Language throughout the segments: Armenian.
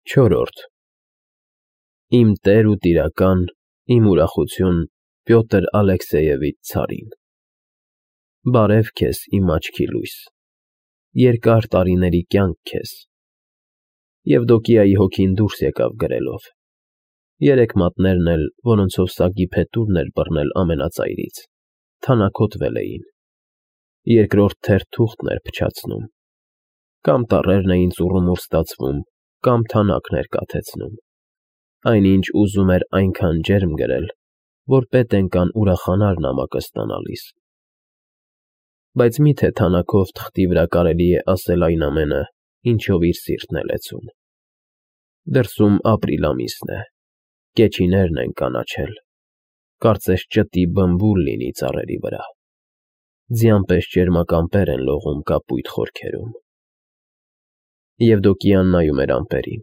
Չորրորդ Իմ տեր ու տիրական, իմ ուրախություն Պյոտր Ալեքսեևիչ ցարին, բարև քեզ, իմ աչքի լույս, երկար տարիների կյանք քեզ, Եվդոկիայի հոգին դուրս եկավ գրելով, երեք մատներն էլ, որոնցով սագի փետուրն էր բռնել ամենածայրից, թանաքոտվել էին, երկրորդ թերթ թուղթն էր փչացնում, կամ տառերն էին ծուռումուռ ստացվում, կամ թանաքն էր կաթեցնում, այնինչ ուզում էր այնքան ջերմ գրել, որ պետենկան ուրախանար նամակը ստանալիս, բայց մի՞թե թանաքով թղթի վրա կարելի է ասել այն ամենը, ինչով իր սիրտն է լեցուն, դրսում ապրիլ ամիսն է, կեչիներն են կանաչել, կարծես ճտի բմբուլ լինի ծառերի վրա, ձյան պես ճերմակ ամպեր են լողում կապույտ խորքերում, Եվդոկիան նայում էր ամպերին,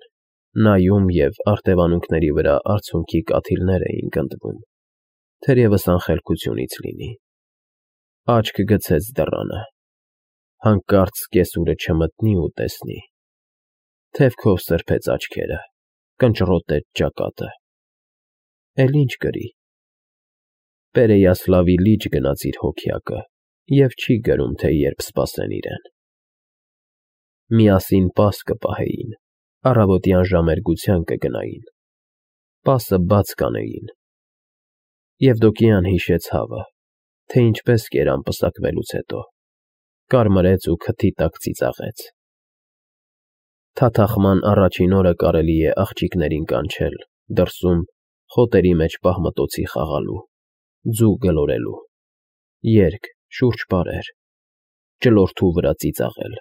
նայում և արտևանունքների վրա արցունքի կաթիլներ էին գնդվում, թերևս անխելքությունից լինի, աչք գցեց դռանը, հանկարծ կեսուրը չմտնի ու տեսնի, թևքով սրբեց աչքերը, կնճռոտեց ճակատը, էլ ինչ կրի, Պերեյասլավի լիճ գնաց իր հոգյակը և չի գրում, թե երբ սպասեն իրեն, միասին պաս կպահեին, առավոտյան ժամերգության կգնային, պասը բաց կանեին, Եվդոկիան հիշեց հավը, թե ինչպես կերան պսակվելուց հետո, կարմրեց ու քթի տակ ծիծաղեց, թաթախման առաջին օրը կարելի է աղջիկներին կանչել, դրսում, խոտերի մեջ պահմտոցի խաղալու, ձու գլորելու, երգ, շուրջ պարեր, ճլորթու վրա ծիծաղել,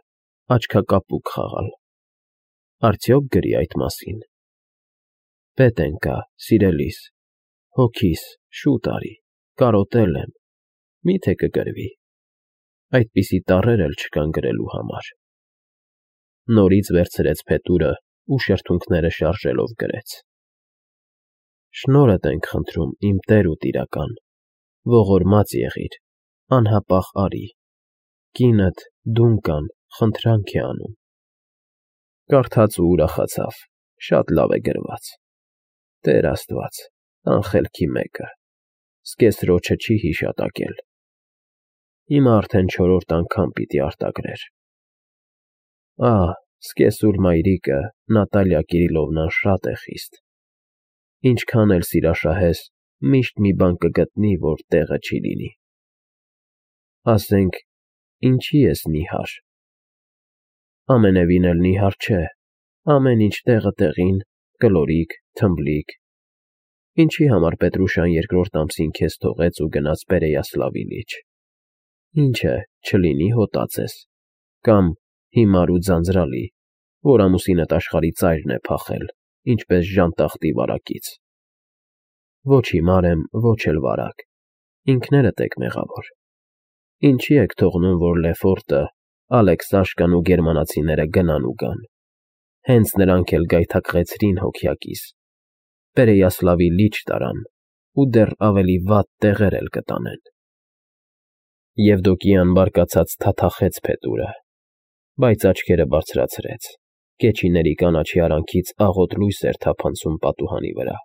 աչքակապուկ խաղալ, արդյոք գրի այդ մասին, պետենկա, սիրելիս, հոգիս, շուտ արի, կարոտել եմ, մի՞թե կգրվի, այդպիսի տառեր էլ չկան գրելու համար, նորից վերցրեց փետուրը ու շրթունքները շարժելով գրեց, շնորհդ ենք խնդրում, իմ տեր ու տիրական, ողորմած եղիր, անհապաղ արի, կինդ Դունկան խնդրանք է անում, կարդաց ու ուրախացավ, շատ լավ է գրված, Տեր Աստված, անխելքի մեկը, սկեսրոջը չի հիշատակել, հիմա արդեն չորրորդ անգամ պիտի արտագրեր, սկեսուր մայրիկը Նատալիա Կիրիլովնան շատ է խիստ, ինչքան էլ սիրաշահես, միշտ մի բան կգտնի, որ տեղը չի լինի, ասենք, ինչի ես նիհար, ամենևին էլ նիհար չէ, ամեն ինչ տեղը տեղին, կլորիկ, թմբլիկ, ինչի համար Պետրուշան երկրորդ ամսին քեզ թողեց ու գնաց Պերեյասլավի լիճ, ինչ է, չլինի հոտած ես, կամ հիմար ու ձանձրալի, որ ամուսինդ աշխարհի ծայրն է փախել, ինչպես ժանտախտի վարակից, ոչ հիմար եմ, ոչ էլ վարակ, ինքներդ եք մեղավոր, ինչի եք թողնում, որ Լեֆորտը, Ալեքսաշկան ու գերմանացիները գնան ու գան, հենց նրանք էլ գայթակղեցրին հոգյակիս, Պերեյասլավի լիճ տարան ու դեռ ավելի վատ տեղեր էլ կտանեն, Եվդոկիան բարկացած թաթախեց փետուրը, բայց աչքերը բարձրացրեց, կեչիների կանաչի արանքից աղոտ լույս էր թափանցում պատուհանի վրա,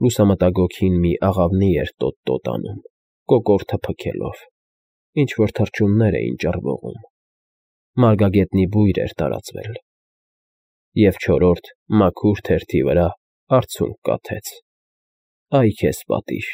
լուսամտագոգին մի աղավնի էր տոտ-տոտ անում, կոկորդը փքելով, ինչ-որ թռչուններ էին ճռվողում, մարգագետնի բույր էր տարածվել, և չորրորդ մաքուր թերթի վրա արցունք կաթեց, այ քեզ պատիժ,